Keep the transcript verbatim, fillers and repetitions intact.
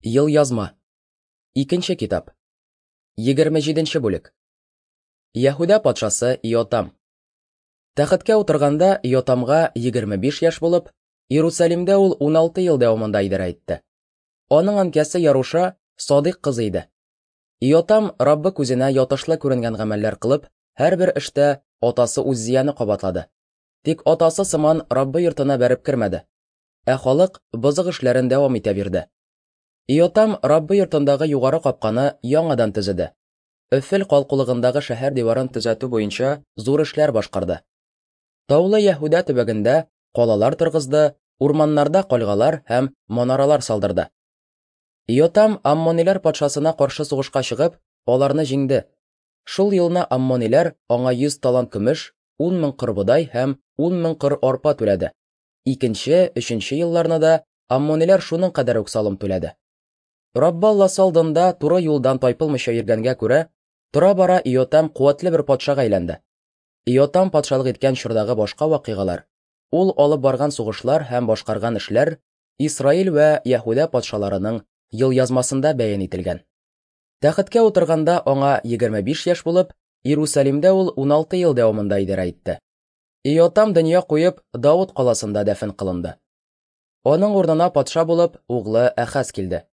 Елъязма. Икенче китап. Егерме җиденче бүлек. Яһүдә патшасы Иотам. Тәхеткә утырганда Иотамга егерме биш яшь булып, Иерусалимдә ул уналты ел дәвамында идарә итте. Аның әнкәсе Яруша Садыйк кызы иде. Иотам Раббы күзенә ятышлы күренгән гамәлләр кылып, һәрбер эштә атасы Уззияне кабатлады. Тик атасы сыман Раббы йортына бәреп кермәде. Ә халык бозык эшләрен дәвам итә бирде. Иотам Раббы йортындагы югары капканы яңадан төзеде. Өфел калкулыгындагы шәһәр диварын төзәтү буенча зур эшләр башкарды. Таулы Яһүдә төбәгендә калалар торгызды, урманнарда кальгалар һәм манаралар салдырды. Иотам аммониләр патшасына каршы сугышка чыгып, аларны җиңде. Шул елны аммониләр аңа йөз талант көмеш, ун мең кыр бодай һәм ун мең кыр арпа түләде. Икенче, өченче елларны да аммониләр шуның кадәр үк салым түләде. Раббы Алласы алдында туры юлдан тайпылмыйча йөргәнгә күрә, тора-бара Иотам куәтле бер патшага әйләнде. Иотам патшалык иткән чордагы башка вакыйгалар, ул алып барган сугышлар һәм башкарган эшләр Исраил вә Яһүдә патшаларының елъязмасында бәян ителгән. Тәхеткә утырганда аңа егерме биш яшь булып, Иерусалимдә ул уналты ел дәвамында идарә итте. Иотам дөнья куеп, Давыт каласында дәфен кылынды. Аның урынына патша булып углы Әхаз килде.